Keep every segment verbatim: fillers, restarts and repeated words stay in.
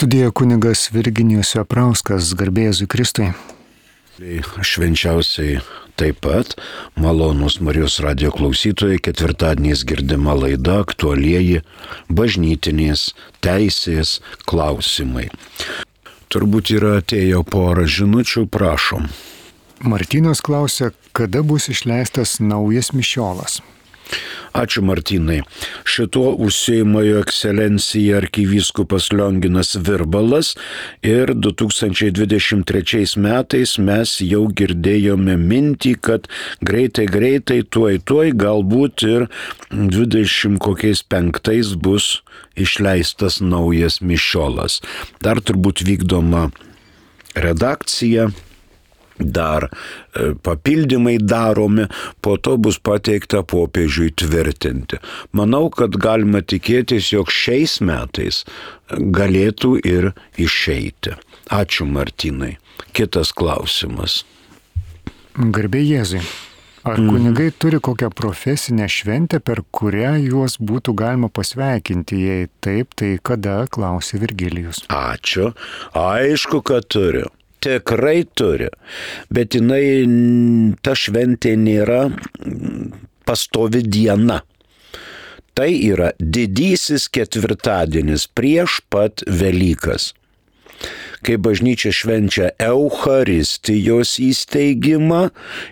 Studijoje kunigas Virginijus Veprauskas, garbė Jėzui Kristui. Švenčiausiai taip pat malonūs Marijos radijo klausytojai, ketvirtadieniais girdima laida aktualieji bažnytinės teisės klausimai. Turbūt yra atėjo porą žinučių, prašom. Martynas klausia, kada bus išleistas naujas mišiolas. Ačiū Martynai. Šituo užsiima jo ekscelencija arkivyskupas Lionginas Virbalas ir du tūkstančiai dvidešimt trečiais metais mes jau girdėjome mintį, kad greitai greitai, tuoj tuoj, galbūt ir dvidešimt kokiais penktais bus išleistas naujas mišiolas. Dar turbūt vykdoma redakcija. Dar papildymai daromi, po to bus pateikta popiežiui tvirtinti. Manau, kad galima tikėtis, jog šiais metais galėtų ir išeiti. Ačiū Martynai. Kitas klausimas. Garbė Jėzui. Ar kunigai mm. turi kokią profesinę šventę, per kurią juos būtų galima pasveikinti? Jei taip, tai kada, klausė Virgilijus. Ačiū. Aišku, kad turiu. Tikrai turi, bet jinai, ta šventė nėra pastovi diena. Tai yra didysis ketvirtadienis prieš pat Velykas, kai bažnyčia švenčia Eucharistijos įsteigimą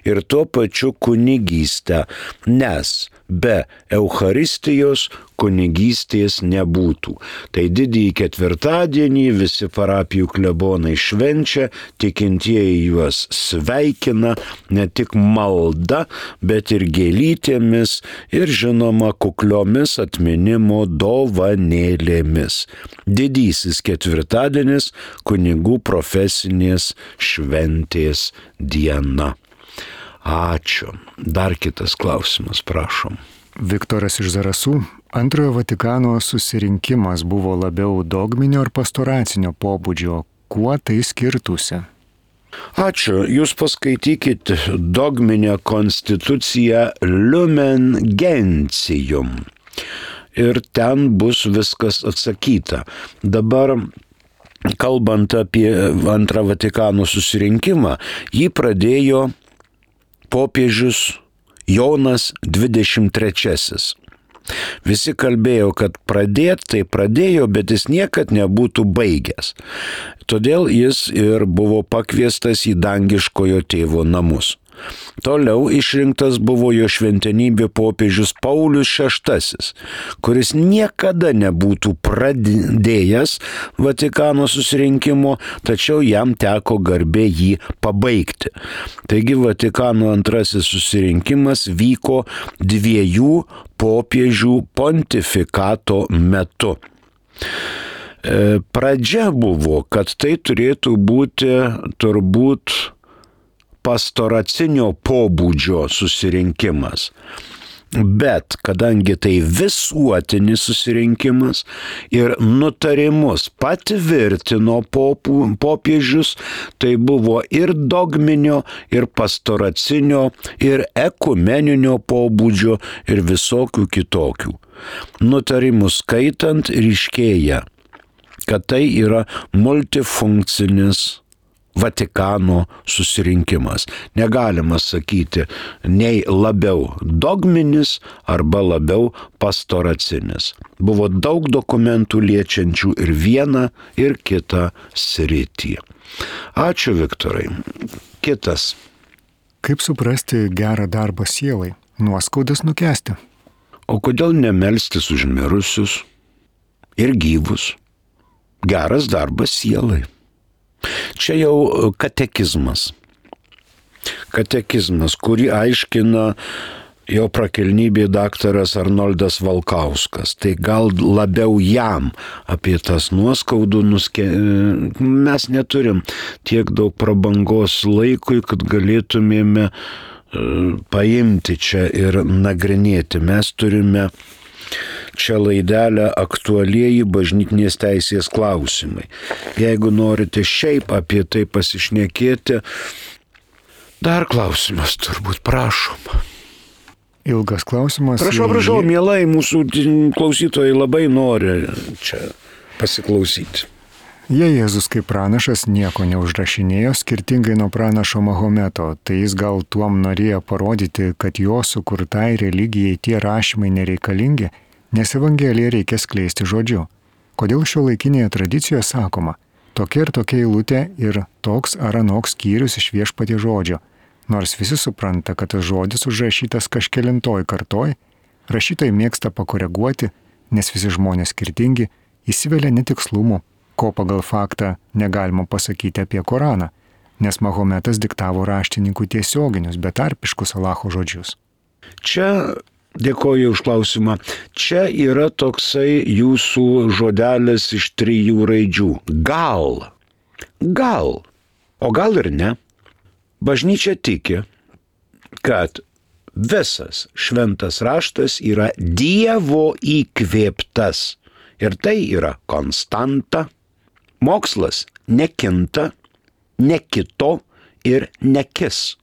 ir tuo pačiu kunigystę, nes be Eucharistijos kunigystės nebūtų. Tai didįjį ketvirtadienį visi parapijų klebonai švenčia, tikintieji juos sveikina ne tik malda, bet ir gėlytėmis ir žinoma kukliomis atminimo dovanėlėmis. Didysis ketvirtadienis kunigų profesinės šventės diena. Ačiū. Dar kitas klausimas, prašom. Viktoras iš Zarasų. Antrojo Vatikano susirinkimas buvo labiau dogminio ar pastoracinio pobūdžio. Kuo tai skirtųsi? Ačiū. Jūs paskaitykite dogminę konstituciją Lumen Gentium. Ir ten bus viskas atsakyta. Dabar, kalbant apie antrą Vatikano susirinkimą, jį pradėjo popiežius Jonas dvidešimt trečiasis. Visi kalbėjo, kad pradėt, tai pradėjo, bet jis niekad nebūtų baigęs. Todėl jis ir buvo pakviestas į dangiškojo tėvo namus. Toliau išrinktas buvo jo šventenybė popiežius Paulius šeštasis, kuris niekada nebūtų pradėjęs Vatikano susirinkimo, tačiau jam teko garbė jį pabaigti. Taigi Vatikano antrasis susirinkimas vyko dviejų popiežių pontifikato metu. Pradžia buvo, kad tai turėtų būti turbūt pastoracinio pobūdžio susirinkimas. Bet kadangi tai visuotinis susirinkimas ir nutarimus patvirtino popų, popiežius, tai buvo ir dogminio, ir pastoracinio, ir ekumeninio pobūdžio, ir visokių kitokių. Nutarimus skaitant ryškėja, kad tai yra multifunkcinis Vatikano susirinkimas. Negalima sakyti nei labiau dogminis arba labiau pastoracinis. Buvo daug dokumentų liečiančių ir vieną, ir kitą sritį. Ačiū, Viktorai. Kitas. Kaip suprasti gerą darbą sielai? Nuoskaudas nukęsti. O kodėl nemelstis už mirusius ir gyvus? Geras darbas sielai. Čia jau katekizmas. Katekizmas, kurį aiškina jo prakilnybė daktaras Arnoldas Valkauskas. Tai gal labiau jam apie tas nuoskaudų nuske... Mes neturim tiek daug prabangos laikui, kad galėtumėme paimti čia ir nagrinėti. Mes turime čia laidelę aktualieji bažnytinės teisės klausimai. Jeigu norite šiaip apie tai pasišnekėti, dar klausimas turbūt, prašom. Ilgas klausimas. Prašau, prašau, mielai, mūsų klausytojai labai nori čia pasiklausyti. Jei Jėzus kaip pranašas nieko neužrašinėjo skirtingai nuo pranašo Mahometo, tai jis gal tuom norėjo parodyti, kad jo sukurtai religijai tie rašymai nereikalingi, nes Evangeliją reikia skleisti žodžiu. Kodėl šio laikinėje tradicijoje sakoma, tokia ir tokia eilutė ir toks ar anoks skyrius iš Viešpaties žodžio, nors visi supranta, kad tas žodis užrašytas kažkelintoj kartoj, rašytojai mėgsta pakoreguoti, nes visi žmonės skirtingi, įsivelia netikslumų, ko pagal faktą negalima pasakyti apie Koraną, nes Mahometas diktavo raštininkų tiesioginius, betarpiškus Alacho žodžius. Čia, dėkoju už klausimą, čia yra toksai jūsų žodelis iš trijų raidžių. Gal. Gal. O gal ir ne. Bažnyčia tiki, kad visas šventas raštas yra Dievo įkvėptas. Ir tai yra konstanta. Mokslas nekinta, nekito ir nekis.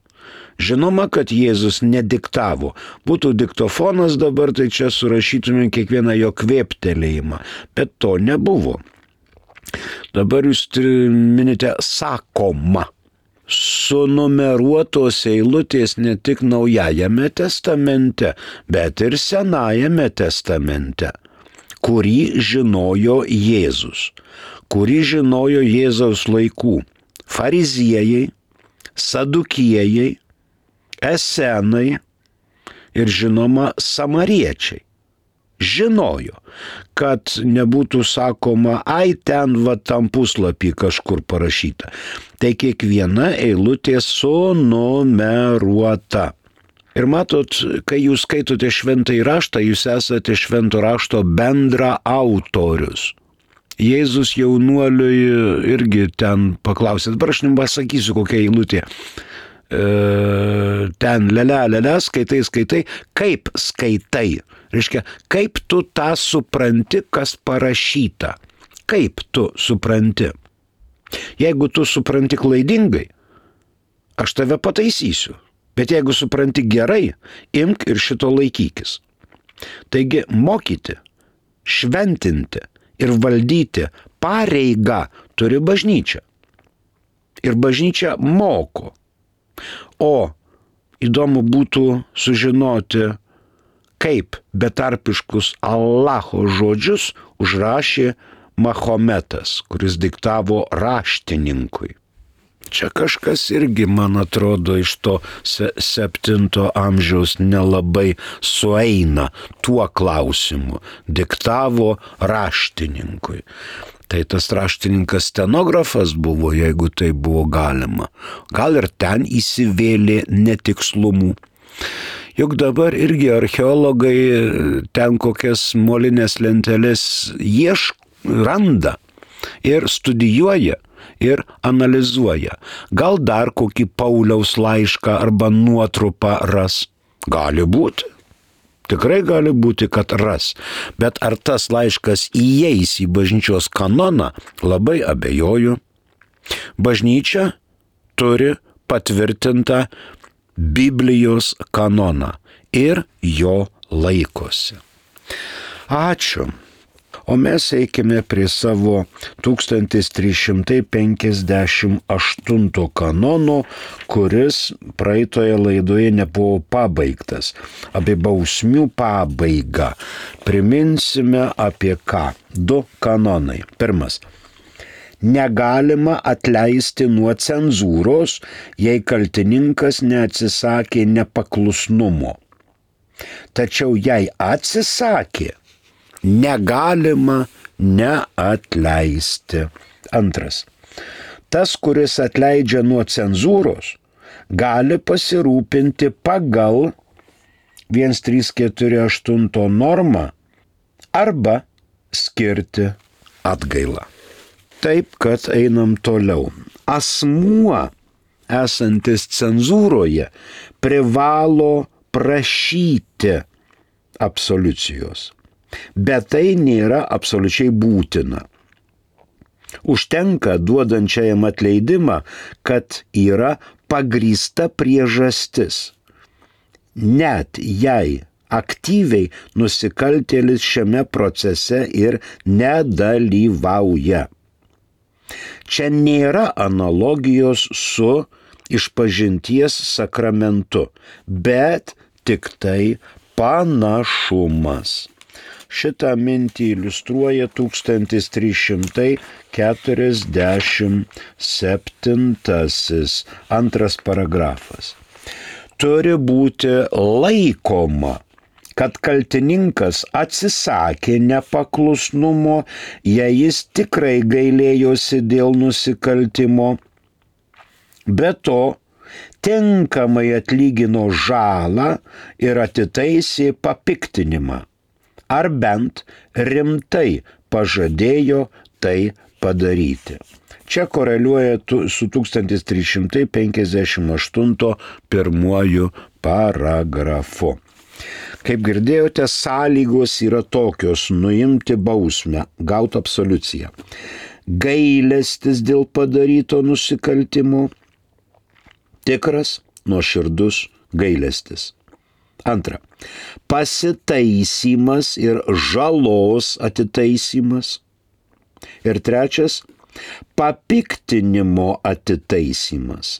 Žinoma, kad Jėzus nediktavo. Būtų diktofonas dabar, tai čia surašytume kiekvieną jo kvėptelėjimą. Bet to nebuvo. Dabar jūs minite sakoma. Sunumeruotos eilutės ne tik Naujajame testamente, bet ir Senajame testamente, kurį žinojo Jėzus, kurį žinojo Jėzaus laikų fariziejai, sadukėjai, esenai ir žinoma samariečiai. Žinojo, kad nebūtų sakoma, ai ten va tam puslapį kažkur parašyta. Tai kiekviena eilutė sunumeruota. Ir matot, kai jūs skaitote šventąjį raštą, jūs esate švento rašto bendra autorius. Jėzus jaunuoliui irgi ten paklausė, dabar aš nepasakysiu kokia eilutė. E, ten lele, lele, skaitai, skaitai, kaip skaitai. Reiškia, kaip tu tą supranti, kas parašyta. Kaip tu supranti. Jeigu tu supranti klaidingai, aš tave pataisysiu. Bet jeigu supranti gerai, imk ir šito laikykis. Taigi mokyti, šventinti ir valdyti pareigą turi bažnyčia. Ir bažnyčia moko. O įdomu būtų sužinoti, kaip betarpiškus Allaho žodžius užrašė Mahometas, kuris diktavo raštininkui. Čia kažkas irgi, man atrodo, iš to se- septinto amžiaus nelabai sueina tuo klausimu. Diktavo raštininkui. Tai tas raštininkas stenografas buvo, jeigu tai buvo galima. Gal ir ten įsivėlė netikslumų. Juk dabar irgi archeologai ten kokias molinės lentelės ieško, randa ir studijuoja. Ir analizuoja. Gal dar kokį Pauliaus laišką arba nuotrupą ras. Gali būti. Tikrai gali būti, kad ras. Bet ar tas laiškas įeis į bažnyčios kanoną, labai abejoju. Bažnyčia turi patvirtintą Biblijos kanoną ir jo laikosi. Ačiū. O mes eikime prie savo tūkstantis trys šimtai penkiasdešimt aštunto kanono, kuris praeitoje laidoje nebuvo pabaigtas. Apie bausmių pabaigą. Priminsime apie ką. Du kanonai. Pirmas. Negalima atleisti nuo cenzūros, jei kaltininkas neatsisakė nepaklusnumo. Tačiau jei atsisakė, negalima neatleisti. Antras. Tas, kuris atleidžia nuo cenzūros, gali pasirūpinti pagal vienas trys keturi aštuoni normą arba skirti atgailą. Taip, kad einam toliau. Asmuo, esantis cenzūroje, privalo prašyti absoliucijos. Bet tai nėra absoliučiai būtina. Užtenka duodančiajam atleidimą, kad yra pagrįsta priežastis. Net jei aktyviai nusikaltėlis šiame procese ir nedalyvauja. Čia nėra analogijos su išpažinties sakramentu, bet tik tai panašumas. Šitą mintį iliustruoja tūkstantis trys šimtai keturiasdešimt septintasis antras paragrafas. Turi būti laikoma, kad kaltininkas atsisakė nepaklusnumo, jei jis tikrai gailėjosi dėl nusikaltimo, be to tinkamai atlygino žalą ir atitaisė papiktinimą, ar bent rimtai pažadėjo tai padaryti. Čia koreliuoja su tūkstantis trys šimtai penkiasdešimt aštunto pirmuoju paragrafu. Kaip girdėjote, sąlygos yra tokios: nuimti bausmę, gauti absoliuciją, gailestis dėl padaryto nusikaltimo, tikras, nuoširdus gailestis. Antra, pasitaisymas ir žalos atitaisymas. Ir trečias, papiktinimo atitaisymas.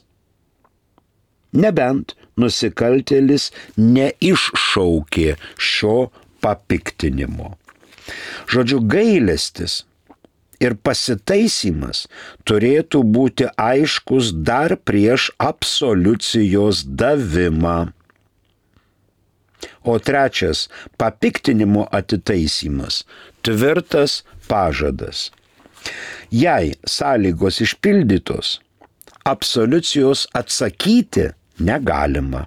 Nebent nusikaltėlis neiššaukė šio papiktinimo. Žodžiu, gailestis ir pasitaisymas turėtų būti aiškus dar prieš absoliucijos davimą. O trečias, papiktinimo atitaisymas, tvirtas pažadas. Jei sąlygos išpildytos, absoliucijos atsakyti negalima.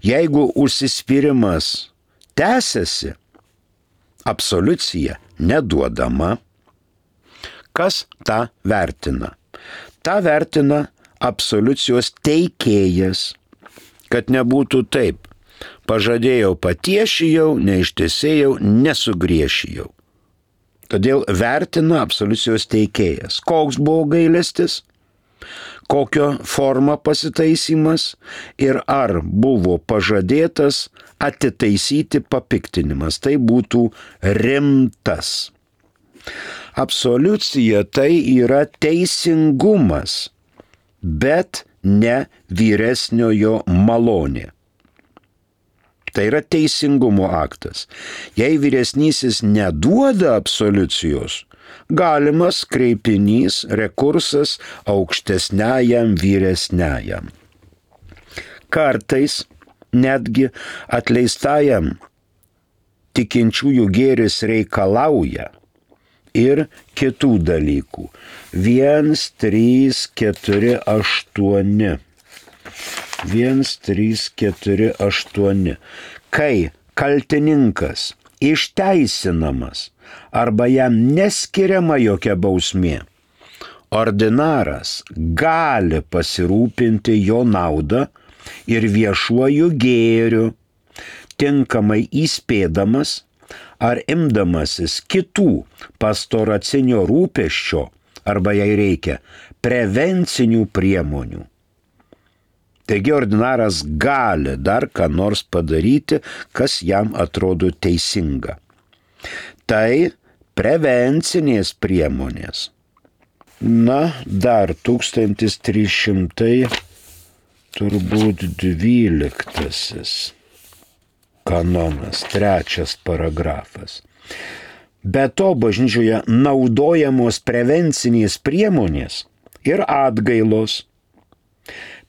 Jeigu užsispyrimas tęsiasi, absoliucija neduodama. Kas tą vertina? Ta vertina absoliucijos teikėjas, kad nebūtų taip: pažadėjau, patiešijau, neištesėjau, nesugriešijau. Todėl vertina absoliucijos teikėjas. Koks buvo gailestis, kokio forma pasitaisymas ir ar buvo pažadėtas atitaisyti papiktinimas. Tai būtų rimtas. Absoliucija tai yra teisingumas, bet ne vyresniojo malonė. Tai yra teisingumo aktas. Jei vyresnysis neduoda absoliucijos, galimas kreipinys, rekursas aukštesniajam vyresniajam. Kartais netgi atleistajam tikinčiųjų gėris reikalauja ir kitų dalykų. Vienas, trys, keturi, aštuoni. Vienas, trys, keturi, aštuoni. Kai kaltininkas išteisinamas arba jam neskiriama jokia bausmė, ordinaras gali pasirūpinti jo naudą ir viešuoju gėriu, tinkamai įspėdamas ar imdamasis kitų pastoracinio rūpesčio arba jei reikia prevencinių priemonių. Taigi ordinaras gali dar ką nors padaryti, kas jam atrodo teisinga. Tai prevencinės priemonės. Na, dar tūkstantis trys šimtai turbūt dvyliktasis kanonas, trečias paragrafas. Be to, bažnyčioje naudojamos prevencinės priemonės ir atgailos.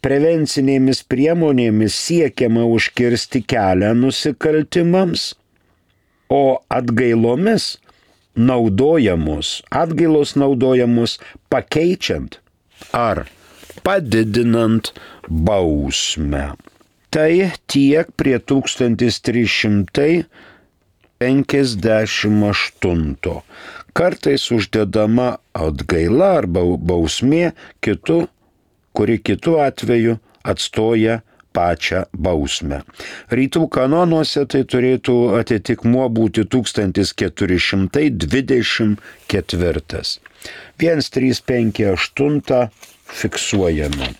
Prevencinėmis priemonėmis siekiama užkirsti kelią nusikaltimams, o atgailomis naudojamos, atgailos naudojamos pakeičiant ar padidinant bausmę. Tai tiek prie tūkstantis trys šimtai penkiasdešimt aštunto. Kartais uždedama atgaila arba bausmė kitu, kuri kitu atveju atstoja pačią bausmę. Rytų kanonuose tai turėtų atitikmuo būti tūkstantis keturi šimtai dvidešimt ketvirtas. vienas, trys, penki, aštuoni fiksuojame.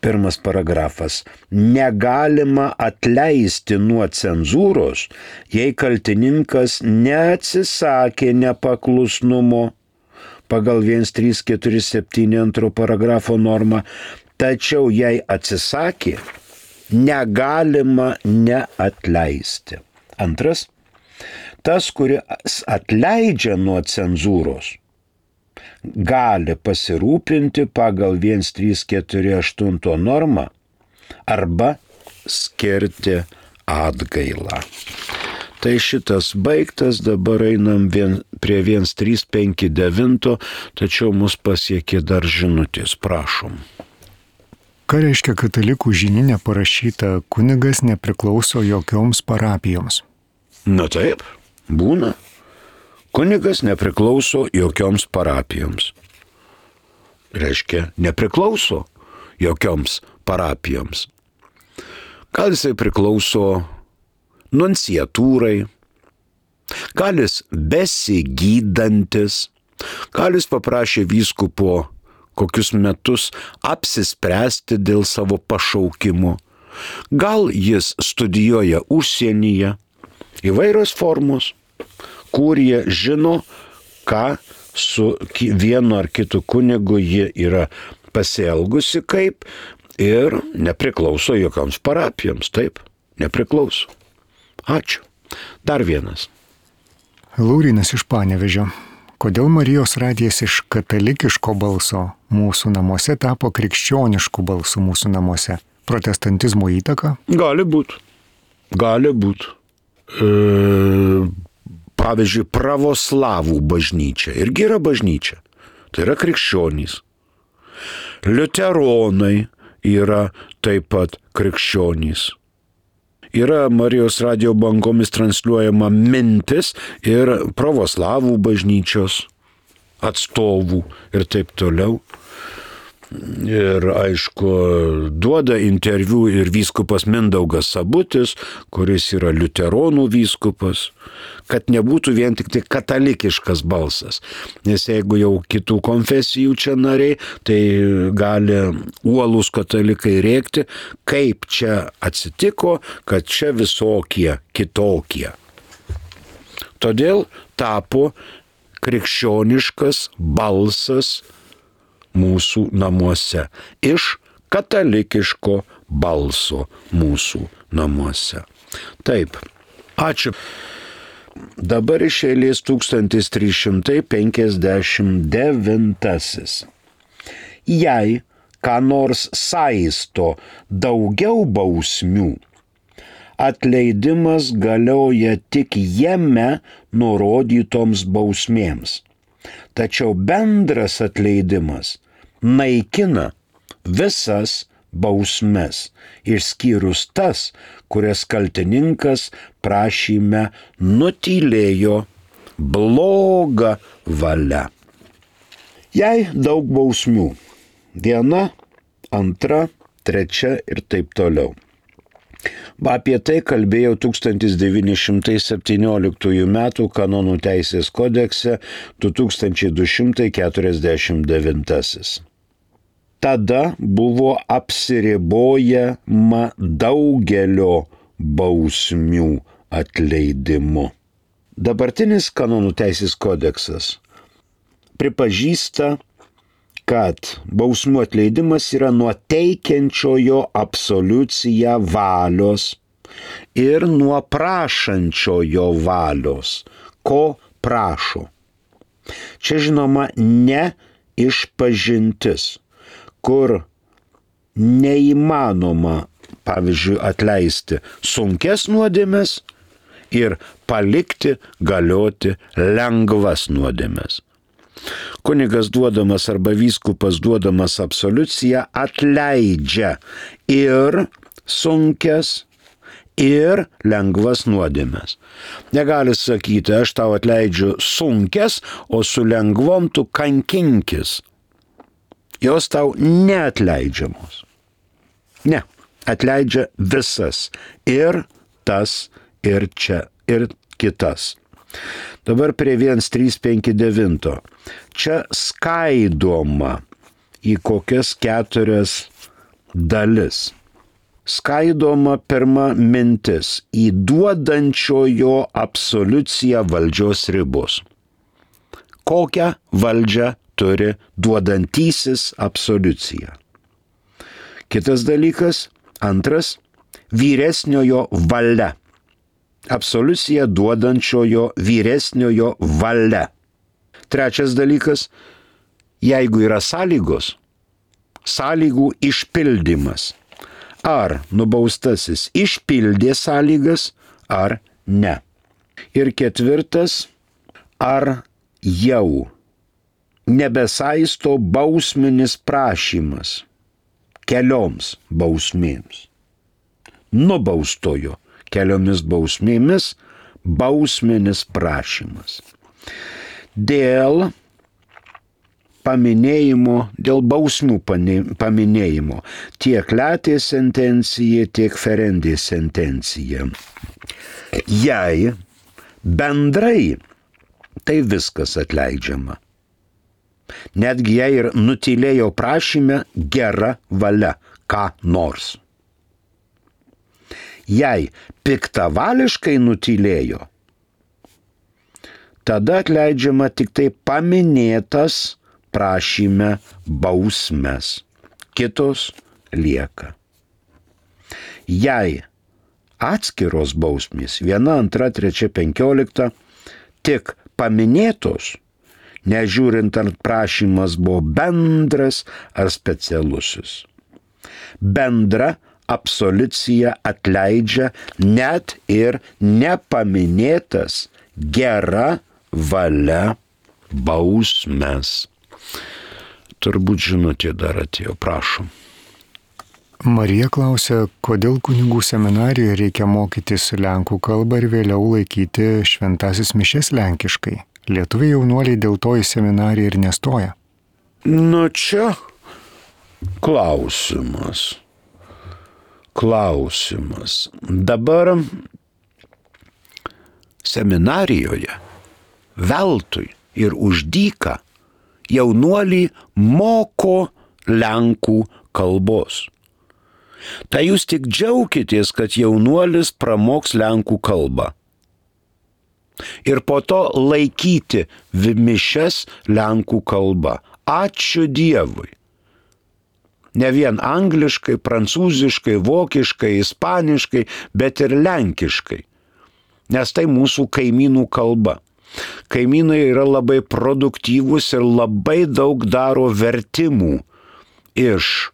Pirmas paragrafas. Negalima atleisti nuo cenzūros, jei kaltininkas neatsisakė nepaklusnumo, pagal vienas trys keturi septyni antro paragrafo normą, tačiau jei atsisakė, negalima neatleisti. Antras, tas, kuris atleidžia nuo cenzūros, gali pasirūpinti pagal vienas trys keturi aštuoni normą arba skirti atgailą. Tai šitas baigtas, dabar einam vien, prie vienas trys penki devyni, tačiau mus pasiekė dar žinutės, prašom. Ką reiškia katalikų žininė parašyta, kunigas nepriklauso jokioms parapijoms? Na taip, būna. Kunigas nepriklauso jokioms parapijoms. Reiškia, nepriklauso jokioms parapijoms. Gal jisai priklauso nunciatūrai, gal jis besigydantis, gal jis paprašė vyskupo kokius metus apsispręsti dėl savo pašaukimo, gal jis studijuoja užsienyje, įvairios formos, kurie žino, ką su vienu ar kitu kunigu jie yra pasielgusi kaip ir nepriklauso jokioms parapijoms, taip, nepriklauso. Ačiū. Dar vienas. Laurynas iš Panevėžio. Kodėl Marijos radijas iš katalikiško balso mūsų namuose tapo krikščionišku balsu mūsų namuose? Protestantizmo įtaka? Gali būt. Gali būt. E, pavyzdžiui, pravoslavų bažnyčia irgi yra bažnyčia. Tai yra krikščionys. Liuteronai yra taip pat krikščionys. Yra Marijos radijo bangomis transliuojama mintis ir pravoslavų bažnyčios atstovų ir taip toliau. Ir aišku, duoda interviu ir vyskupas Mindaugas Sabutis, kuris yra liuteronų vyskupas, kad nebūtų vien tik tai katalikiškas balsas. Nes jeigu jau kitų konfesijų čia nariai, tai gali uolūs katalikai rėkti, kaip čia atsitiko, kad čia visokie kitokie. Todėl tapo krikščioniškas balsas mūsų namuose, iš katalikiško balso mūsų namuose. Taip, ačiū. Dabar iš eilės tūkstantis trys šimtai penkiasdešimt devintasis. Jei ką nors saisto daugiau bausmių, atleidimas galioja tik jame nurodytoms bausmėms. Tačiau bendras atleidimas naikina visas bausmes, išskyrus tas, kurias kaltininkas prašyme nutylėjo bloga valia. Jei daug bausmių, viena, antra, trečia ir taip toliau. Apie tai kalbėjau tūkstantis devyni šimtai septynioliktųjų metų kanonų teisės kodekse du tūkstančiai du šimtai keturiasdešimt devintasis. Tada buvo apsiribojama daugelio bausmių atleidimu. Dabartinis kanonų teisės kodeksas pripažįsta, kad bausmų atleidimas yra nuo teikiančiojo absoliuciją valios ir nuo prašančiojo valios, ko prašo. Čia žinoma ne išpažintis, kur neįmanoma, pavyzdžiui, atleisti sunkes nuodėmes ir palikti galioti lengvas nuodėmes. Kunigas duodamas arba vyskupas duodamas absoliuciją atleidžia ir sunkes, ir lengvas nuodėmes. Negali sakyti, aš tau atleidžiu sunkes, o su lengvom tu kankinkis. Jos tau neatleidžiamos. Ne, atleidžia visas. Ir tas, ir čia, ir kitas. Dabar prie vienas trys penki devyni. Čia skaidoma į kokias keturias dalis. Skaidoma pirma mintis į duodančiojo absoliuciją valdžios ribos. Kokią valdžią turi duodantysis absoliuciją. Kitas dalykas, antras, vyresniojo valia. Absoliuciją duodančiojo vyresniojo valia. Trečias dalykas, jeigu yra sąlygos, sąlygų išpildymas. Ar nubaustasis išpildė sąlygas, ar ne. Ir ketvirtas, ar jau nebesaisto bausminis prašymas kelioms bausmėms. Nubaustojo keliomis bausmėmis bausminis prašymas. Dėl paminėjimo, dėl bausmių paminėjimo tiek letė sentencija, tiek ferendė sentencija. Jei bendrai, tai viskas atleidžiama. Netgi jei ir nutylėjo prašyme gera valia, ką nors. Jei piktavališkai nutylėjo, tada atleidžiama tik tai paminėtas prašyme bausmes. Kitos lieka. Jei atskiros bausmės, viena, antra, trečia, penkiolikta, tik paminėtos, nežiūrint ar prašymas buvo bendras ar specialusis. Bendra absoliucija atleidžia net ir nepaminėtas gera valia bausmes. Turbūt žinote, dar atėjo, prašom. Marija klausia, kodėl kunigų seminarijoje reikia mokytis lenkų kalbą ir vėliau laikyti šventasis mišias lenkiškai. Lietuviai jaunuoliai dėl to į seminariją ir nestoja. Nu čia klausimas. Klausimas. Dabar seminarijoje veltui ir už dyką jaunuoliai moko lenkų kalbos. Tai jūs tik džiaukitės, kad jaunuolis pramoks lenkų kalbą. Ir po to laikyti mišias lenkų kalba. Ačiū Dievui. Ne vien angliškai, prancūziškai, vokiškai, ispaniškai, bet ir lenkiškai. Nes tai mūsų kaimynų kalba. Kaimynai yra labai produktyvūs ir labai daug daro vertimų iš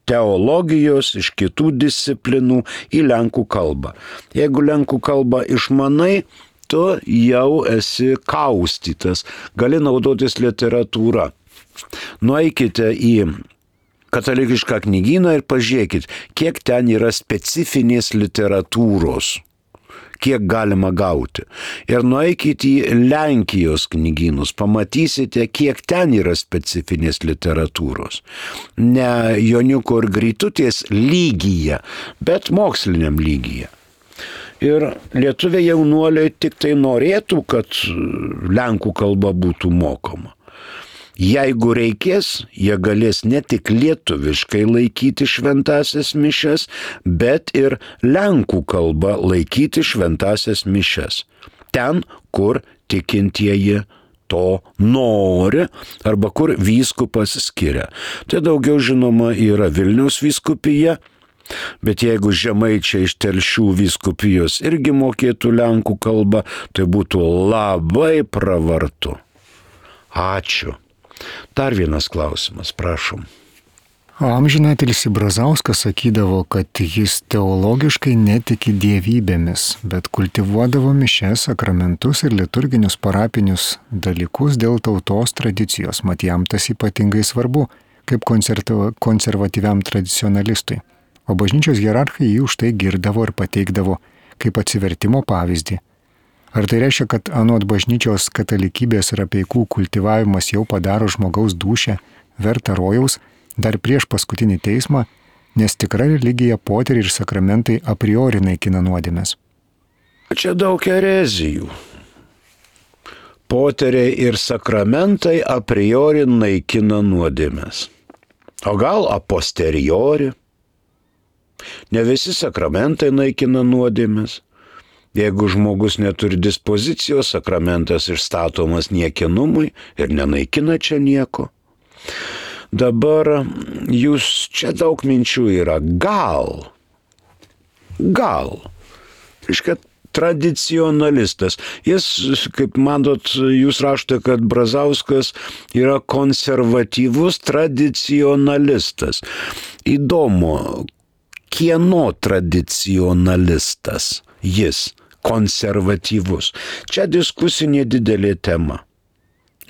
teologijos, iš kitų disciplinų į lenkų kalbą. Jeigu lenkų kalbą išmanai, tu jau esi kaustytas, gali naudotis literatūra. Nueikite į katalikišką knygyną ir pažiūrėkit, kiek ten yra specifinės literatūros, kiek galima gauti. Ir nueikit į Lenkijos knygynus, pamatysite, kiek ten yra specifinės literatūros. Ne Joniuko ir Grytutės lygyje, bet moksliniam lygyje. Ir lietuviai jaunuoliai tik tai norėtų, kad lenkų kalba būtų mokoma. Jeigu reikės, jie galės ne tik lietuviškai laikyti šventasias mišias, bet ir lenkų kalba laikyti šventasias mišias. Ten, kur tikintieji to nori arba kur vyskupas skiria. Tai daugiau žinoma yra Vilniaus vyskupija, bet jeigu žemaičiai iš Telšių vyskupijos irgi mokėtų lenkų kalbą, tai būtų labai pravartu. Ačiū. Dar vienas klausimas, prašom. Amžinatilsį Brazauskas sakydavo, kad jis teologiškai netiki dievybėmis, bet kultivuodavo mišias, sakramentus ir liturginius parapinius dalykus dėl tautos tradicijos, mat jam tas ypatingai svarbu, kaip konservatyviam tradicionalistui. O bažnyčios hierarchai jį už tai girdavo ir pateikdavo kaip atsivertimo pavyzdį. Ar tai reiškia, kad anot bažnyčios katalikybės ir apeikų kultivavimas jau padaro žmogaus dūšią vertą rojaus dar prieš paskutinį teismą, nes tikra religija, poteriai ir sakramentai a priori naikina nuodėmes? Čia daug erezijų. Poteriai ir sakramentai a priori naikina nuodėmes. O gal a posteriori? Ne visi sakramentai naikina nuodėmes. Jeigu žmogus neturi dispozicijos, sakramentas išstatomas niekinumui ir nenaikina čia nieko. Dabar jūs čia daug minčių yra. Gal. Gal. Reiškia, tradicionalistas. Jis, kaip matot, jūs rašote, kad Brazauskas yra konservatyvus tradicionalistas. Įdomu, kieno tradicionalistas jis, konservatyvus. Čia diskusinė didelė tema.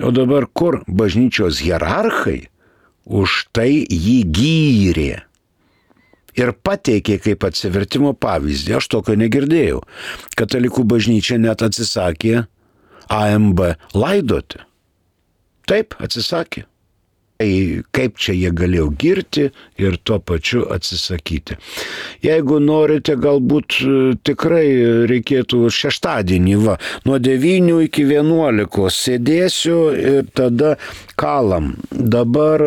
O dabar kur bažnyčios hierarchai už tai jį gyrė ir pateikė kaip atsivertimo pavyzdį. Aš tokio negirdėjau. Katalikų bažnyčia net atsisakė A M B laidoti. Taip, atsisakė. Tai kaip čia jie galėjo girti ir tuo pačiu atsisakyti. Jeigu norite, galbūt tikrai reikėtų šeštadienį, va, nuo devynių iki vienuolikos sėdėsiu ir tada kalam. Dabar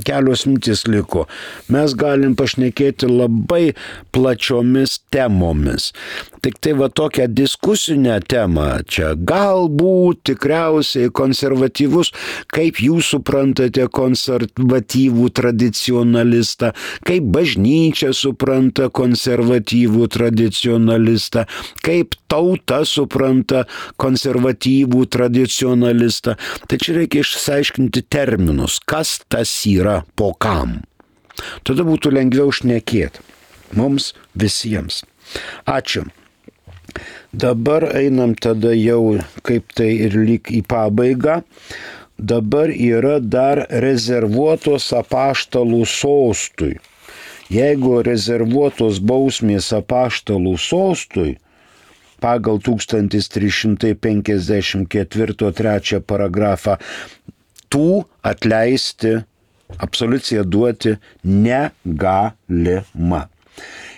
kelios mintis liko. Mes galim pašnekėti labai plačiomis temomis. Tik tai va tokią diskusinę temą čia galbūt tikriausiai konservatyvus, kaip jūs suprantate konservatyvų tradicionalistą, kaip bažnyčia supranta konservatyvų tradicionalistą, kaip tauta supranta konservatyvų tradicionalistą. Tai čia reikia išsiaiškinti terminus, kas tas yra po kam. Tada būtų lengviau šnekėti mums visiems. Ačiū. Dabar einam tada jau kaip tai ir lyg į pabaigą. Dabar yra dar rezervuotos apaštalų sostui. Jeigu rezervuotos bausmės apaštalų sostui pagal tūkstantis trys šimtai penkiasdešimt ketvirto trečią paragrafą tų atleisti, absoliuciją duoti negalima.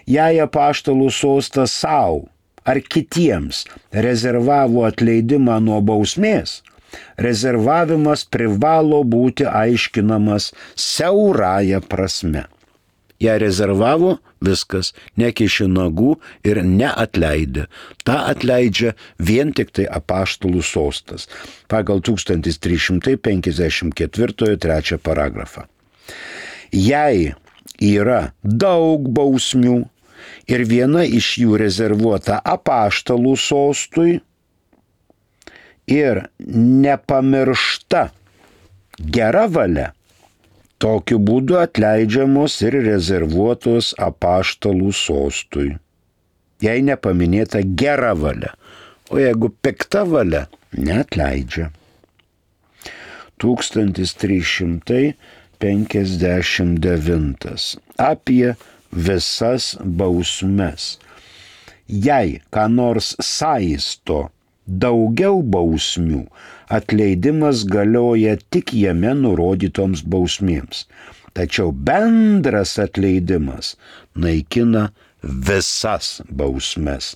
Jei apaštalų sostas savo ar kitiems rezervavo atleidimą nuo bausmės, rezervavimas privalo būti aiškinamas siaurąja prasme. Jei rezervavo, viskas, nekiši nagų ir neatleidė. Ta atleidžia vien tik tai apaštalų sostas pagal tūkstantis trys šimtai penkiasdešimt ketvirto trečią paragrafą. Jei yra daug bausmių ir viena iš jų rezervuota apaštalų sostui ir nepamiršta gera valia, tokiu būdu atleidžiamos ir rezervuotos apaštalų sostui. Jei nepaminėta gera valia, o jeigu pikta valia, neatleidžia. tūkstantis trys šimtai penkiasdešimt devintas. Apie visas bausmes. Jei ką nors saisto daugiau bausmių, atleidimas galioja tik jame nurodytoms bausmėms. Tačiau bendras atleidimas naikina visas bausmes,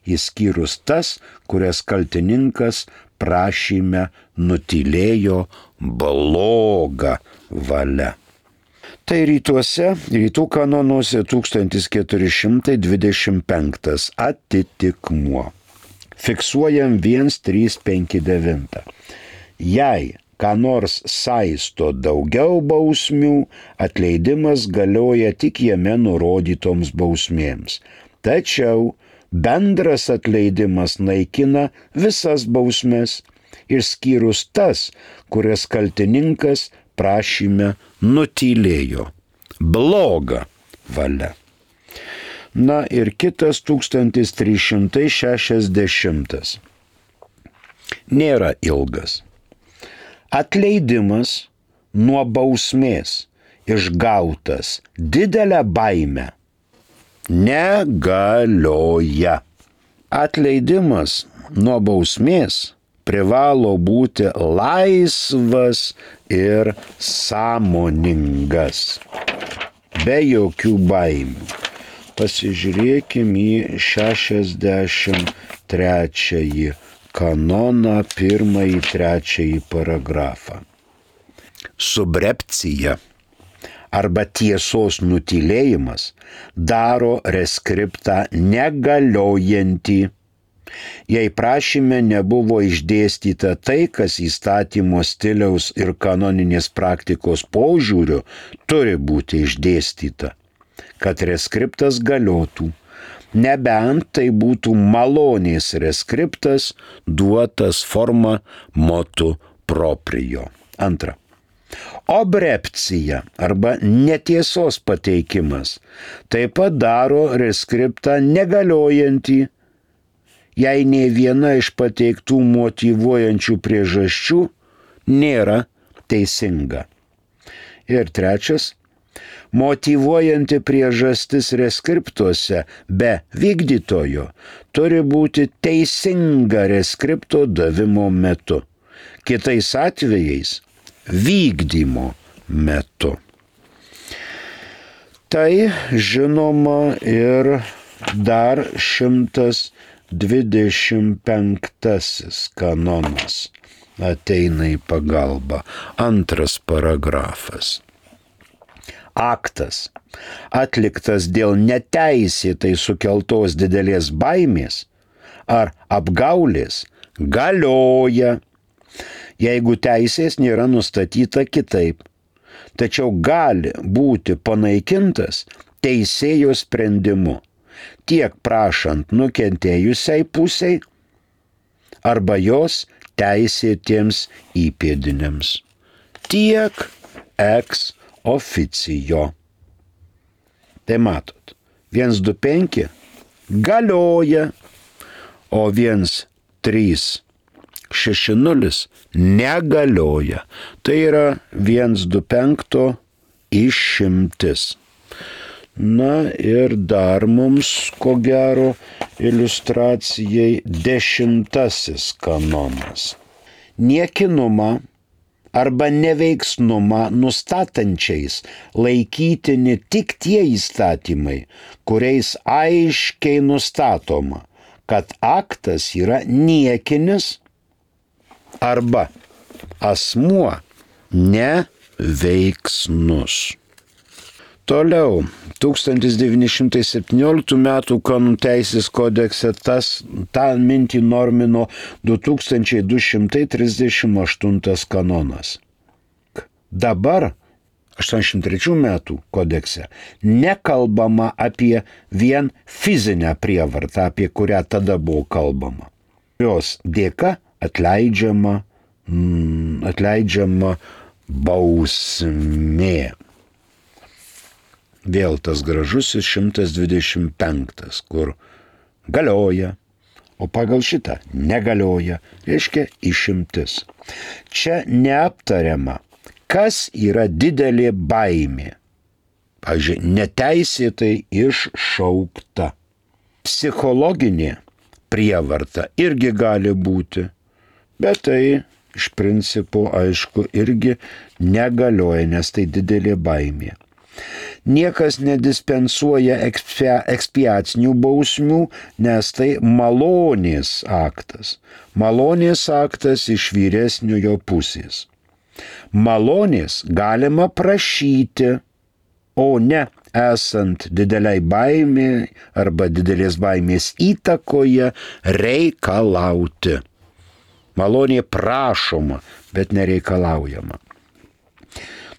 išskyrus tas, kurias kaltininkas prašyme nutylėjo bloga valia. Tai rytuose, rytų kanonuose tūkstantis keturi šimtai dvidešimt penktas atitikmuo. Fiksuojam vienas trys penki devyni. Jei ką nors saisto daugiau bausmių, atleidimas galioja tik jame nurodytoms bausmėms. Tačiau bendras atleidimas naikina visas bausmes, išskyrus tas, kurias kaltininkas prašyme nutylėjo. Bloga valia. Na ir kitas tūkstantis trys šimtai šešiasdešimtas. Nėra ilgas. Atleidimas nuo bausmės išgautas didelę baimę negalioja. Atleidimas nuo bausmės privalo būti laisvas ir sąmoningas, be jokių baimių. Pasižiūrėkime į šešiasdešimt trečiąjį kanoną, pirmąjį, trečiąjį paragrafą. Subrepcija arba tiesos nutylėjimas daro reskriptą negaliojantį Jei prašyme nebuvo išdėstyta tai, kas įstatymo stiliaus ir kanoninės praktikos požiūriu turi būti išdėstyta, kad reskriptas galiotų, nebent tai būtų malonės reskriptas duotas forma motu proprio. Antra. Obrepcija arba netiesos pateikimas taip pat daro reskriptą negaliojantį, jei nei viena iš pateiktų motyvuojančių priežasčių nėra teisinga. Ir trečias, motyvuojanti priežastis reskriptuose be vykdytojo turi būti teisinga reskripto davimo metu, kitais atvejais vykdymo metu. Tai žinoma ir dar šimtas dvidešimt penktasis kanonas ateina į pagalbą. Antras paragrafas. Aktas, atliktas dėl neteisėtai sukeltos didelės baimės ar apgaulės, galioja, jeigu teisės nėra nustatyta kitaip, tačiau gali būti panaikintas teisėjo sprendimu, tiek prašant nukentėjusiai pusiai arba jos teisėtiems įpėdiniams, tiek ex officio. Tai matot, vienas du penki galioja, o vienas trys šeši nulis negalioja. Tai yra vienas du penki išimtis. Na ir dar mums, ko gero, iliustracijai dešimtasis kanonas. Niekinumą arba neveiksnumą nustatančiais laikytini tik tie įstatymai, kuriais aiškiai nustatoma, kad aktas yra niekinis arba asmuo neveiksnus. Toliau, tūkstantis devyni šimtai septynioliktų metų kanonų teisės kodekse tas, tą mintį normino du tūkstančiai du šimtai trisdešimt aštuntas kanonas. Dabar, aštuoniasdešimt trečių metų kodekse, nekalbama apie vien fizinę prievartą, apie kurią tada buvo kalbama. Jos dėka atleidžiama, mm, atleidžiama bausmė. Vėl tas gražusis šimtas dvidešimt penktas, kur galioja, o pagal šitą negalioja, reiškia išimtis. Čia neaptariama, kas yra didelė baimė. Pavyzdžiui, neteisėtai iššaukta. Psichologinė prievarta irgi gali būti, bet tai iš principo, aišku, irgi negalioja, nes tai didelė baimė. Niekas nedispensuoja ekspiacinių bausmių, nes tai malonės aktas. Malonės aktas iš vyresniojo pusės. Malonės galima prašyti, o ne esant dideliai baimė arba didelės baimės įtakoje reikalauti. Malonė prašoma, bet nereikalaujama.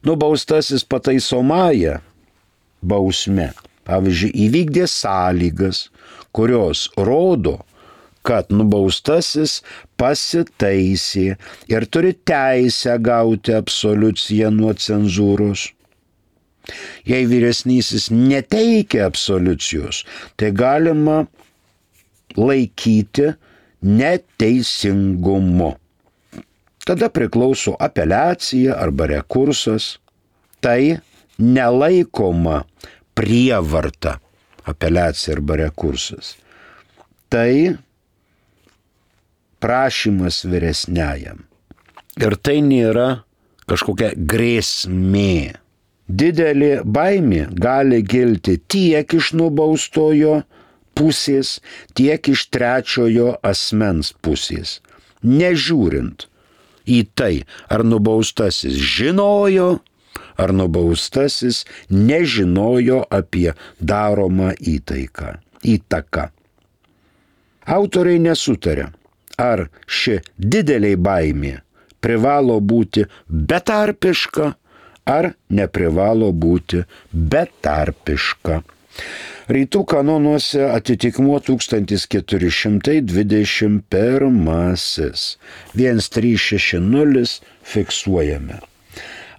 Nubaustasis pataisomąja bausme, pavyzdžiui, įvykdė sąlygas, kurios rodo, kad nubaustasis pasitaisė ir turi teisę gauti absoliuciją nuo cenzūros. Jei vyresnysis neteikia absoliucijos, tai galima laikyti neteisingumu. Tada priklauso apeliacija arba rekursas. Tai nelaikoma prievarta, apeliacija arba rekursas. Tai prašymas vyresniajam. Ir tai nėra kažkokia grėsmė. Didelė baimė gali kilti tiek iš nubaustojo pusės, tiek iš trečiojo asmens pusės, nežiūrint į tai, ar nubaustasis žinojo, ar nubaustasis nežinojo apie daromą įtaiką, įtaką. Autoriai nesutarė, ar ši didelė baimė privalo būti betarpiška, ar neprivalo būti betarpiška. Rytų kanonuose atitikmuo tūkstantis keturi šimtai dvidešimt pirmasis. vienas trys šeši nulis fiksuojame.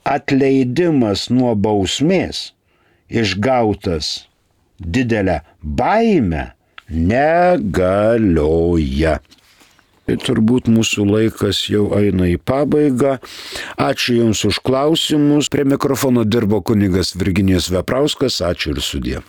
Atleidimas nuo bausmės išgautas didelę baimę negalioja. Tai turbūt mūsų laikas jau eina į pabaigą. Ačiū Jums už klausimus. Prie mikrofono dirbo kunigas Virginijus Veprauskas. Ačiū ir sudie.